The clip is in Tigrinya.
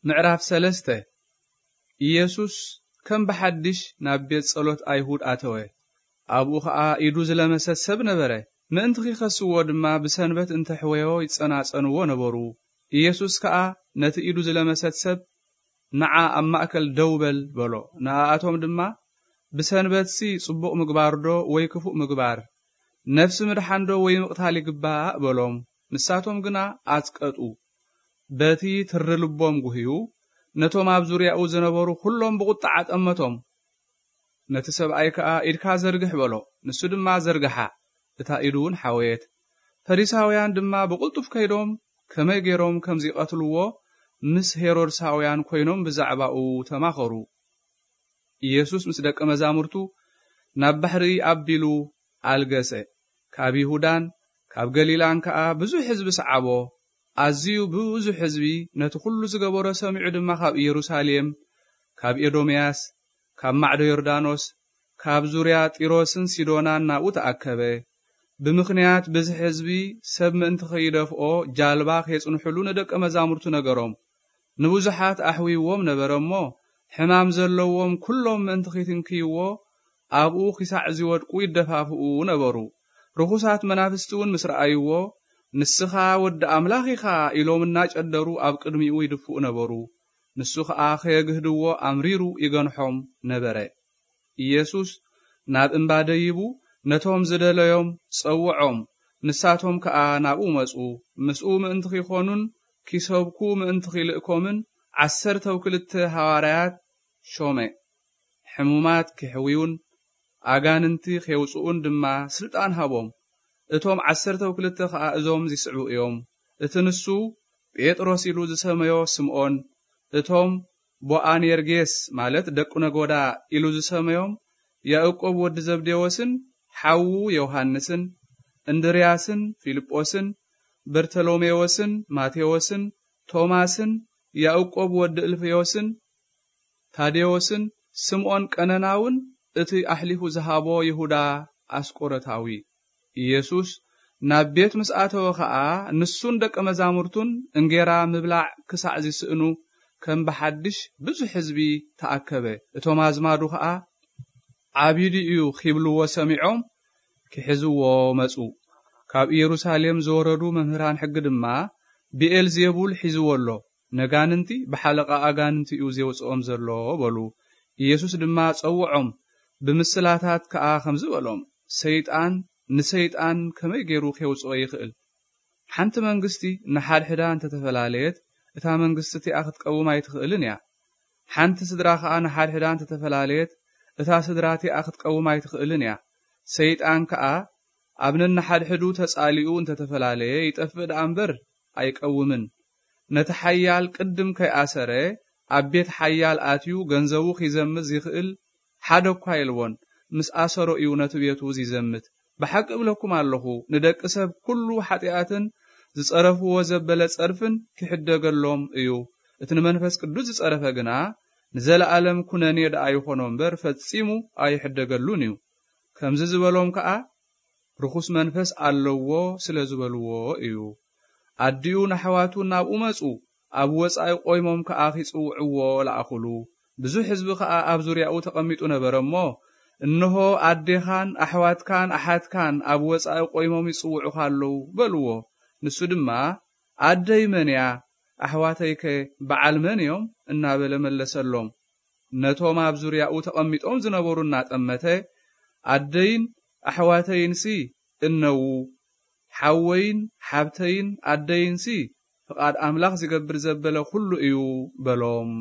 ምዕራፍ ሰለስተ። ኢየሱስ ከም ብሓድሽ ናብ ቤት ጸሎት ኣይሁድ ኣተወ። ኣብኡ ኸኣ ኢዱ ዝለመሰት ሰብ ነበረ። ምእንቲ ኺኸስዎ ድማ ብሰንበት እንተ ሕወዮ ይጸናጸንዎ ነበሩ። ኢየሱስ ከኣ ነቲ ኢዱ ዝለመሰት ሰብ፣ "ንዓ ኣብ ማእከል ደው በል" በሎ። ንኣኣቶም ድማ፣ "ብሰንበትሲ ጽቡቕ ምግባርዶ ወይ ክፉእ ምግባር? ነፍሲ ምድሓንዶ ወይ ምቕታል ይግባእ?" በሎም። ንሳቶም ግና ኣጽቀጡ። በቲ ትሪ ልቦም ጉህዩ፣ ነቶም ኣብ ዙርያኡ ዝነበሩ ኵሎም ብቑጥዓ ጠመቶም። ነቲ ሰብኣይ ከኣ፣ "ኢድካ ዘርግሕ" በሎ። ንሱ ድማ ዘርግሓ፣ እታ ኢዱ እውን ሓወየት። ፈሪሳውያን ድማ ብቕልጡፍ ከይዶም፣ ከመይ ገይሮም ከም ዚቐትልዎ ምስ ሄሮድሳውያን ኰይኖም ብዛዕባኡ ተማኸሩ። ኢየሱስ ምስ ደቀ መዛሙርቱ ናብ ባሕሪ ኣቢሉ ኣልገሰ። ካብ ይሁዳን ካብ ገሊላን ከኣ ብዙሕ ህዝቢ ሰዓቦ። ኣዝዩ ብዙሕ ህዝቢ ነቲ ኵሉ ዝገበሮ ሰሚዑ ድማ ካብ ኢየሩሳሌም፣ ካብ ኤዶምያስ፣ ካብ ማዕዶ ዮርዳኖስ፣ ካብ ዙርያ ጢሮስን ሲዶናን ናብኡ ተኣከበ። ብምኽንያት ብዝሒ ህዝቢ ሰብ ምእንቲ ኸይደፍኦ ጃልባ ኼጽንሑሉ ንደቀ መዛሙርቱ ነገሮም። ንብዙሓት ኣሕዊዎም ነበረ እሞ፣ ሕማም ዘለዎም ኵሎም ምእንቲ ኺትንክይዎ፣ ኣብኡ ኺሳዕ ዚወድቁ ይደፋፍኡ ነበሩ። ርኹሳት መናፍስቲ እውን ምስ ረኣይዎ፣ "ንስኻ ወዲ ኣምላኽ ኢኻ" ኢሎም እናጨደሩ ኣብ ቅድሚኡ ይድፍኡ ነበሩ። ንሱ ኸኣ ኸየግህድዎ ኣምሪሩ ይገንሖም ነበረ። ኢየሱስ ናብ እምባ ደይቡ ነቶም ዝደለዮም ጸውዖም፣ ንሳቶም ከኣ ናብኡ መጹ። ምስኡ ምእንቲ ኺኾኑን ኪሰብኩ ምእንቲ ኺልእኮምን ዓሰርተው ክልተ ሃዋርያት ሾመ። ሕሙማት ኪሕውዩን ኣጋንንቲ ኼውጽኡን ድማ ስልጣን ሃቦም። እቶም ዓሰርተው ክልተ ኸኣ እዞም ዚስዕቡ እዮም። እቲ ንሱ ጴጥሮስ ኢሉ ዝሰመዮ ስምኦን፣ እቶም ቦኣኔርጌስ ማለት ደቂ ነጎዳ ኢሉ ዝሰመዮም ያእቆብ ወዲ ዘብዴዎስን ሓዉ ዮሃንስን፣ እንድርያስን ፊልጶስን፣ በርተሎሜዎስን ማቴዎስን፣ ቶማስን፣ ያእቆብ ወዲ እልፍዮስን፣ ታዴዎስን፣ ስምኦን ቀነናውን፣ እቲ ኣሕሊፉ ዝሃቦ ይሁዳ ኣስቆሮታዊ። ኢየሱስ ናብ ቤት ምስ ኣተወ ኸኣ፣ ንሱን ደቀ መዛሙርቱን እንጌራ ምብላዕ ክሳዕ ዚስእኑ፣ ከም ብሓድሽ ብዙሕ ህዝቢ ተኣከበ። እቶም ኣዝማዱ ኸኣ፣ "ዓቢዱ እዩ" ኺብልዎ ሰሚዖም፣ ኪሕዝዎ መጹ። ካብ ኢየሩሳሌም ዝወረዱ መምህራን ሕጊ ድማ፣ "ብኤልዜቡል ሒዝዎ ኣሎ፣ ነጋንንቲ ብሓለቓ ኣጋንንቲ እዩ ዜውጽኦም ዘሎ" በሉ። ኢየሱስ ድማ ጸውዖም፣ ብምስላታት ከኣ ከምዚ በሎም፣ "ሰይጣን ንሰይጣን ከመይ ገይሩ ኼውጽኦ ይኽእል? ሓንቲ መንግስቲ ንሓድሕዳ እንተ ተፈላለየት፣ እታ መንግስቲ እቲኣ ክትቀውም ኣይትኽእልን እያ። ሓንቲ ስድራ ኸኣ ንሓድሕዳ እንተ ተፈላለየት፣ እታ ስድራ እቲኣ ክትቀውም ኣይትኽእልን እያ። ሰይጣን ከኣ ኣብ ነንሓድሕዱ ተጻሊኡ እንተ ተፈላለየ፣ ይጠፍእ ደኣ እምበር ኣይቀውምን። ነቲ ሓያል ቅድም ከይኣሰረ፣ ኣብ ቤት ሓያል ኣትዩ ገንዘቡ ኺዘምት ዚኽእል ሓደ እኳ የልቦን። ምስ ኣሰሮ እዩ ነቲ ቤቱ ዚዘምት። ብሓቂ እብለኩም ኣለኹ፣ ንደቂ ሰብ ኵሉ ሓጢኣትን ዝጸረፍዎ ዘበለ ጸርፍን ኪሕደገሎም እዩ። እቲ ንመንፈስ ቅዱስ ዝጸረፈ ግና ንዘለኣለም ኵነኔ ደኣ ይኾኖ እምበር፣ ፈጺሙ ኣይሕደገሉን እዩ። ከምዚ ዝበሎም ከኣ፣ ርኹስ መንፈስ ኣለዎ ስለ ዝበልዎ እዩ። ኣዲኡ ንኣሕዋቱ ናብኡ መጹ፣ ኣብ ወጻኢ ቆይሞም ከኣ ኺጽውዕዎ ለኣኹሉ። ብዙሕ ህዝቢ ኸኣ ኣብ ዙርያኡ ተቐሚጡ ነበረ እሞ፣ "እንሆ፣ ኣዴኻን ኣሕዋትካን ኣሓትካን ኣብ ወጻኢ ቆይሞም ይጽውዑኻ ኣለዉ" በልዎ። ንሱ ድማ፣ "ኣደይ መን እያ? ኣሕዋተይከ በዓል መን እዮም?" እናበለ መለሰሎም። ነቶም ኣብ ዙርያኡ ተቐሚጦም ዝነበሩ እናጠመተ፣ "ኣደይን ኣሕዋተይንሲ እነዉ፣ ሓወይን ሓብተይን ኣደይንሲ ፍቓድ ኣምላኽ ዚገብር ዘበለ ኹሉ እዩ" በሎም።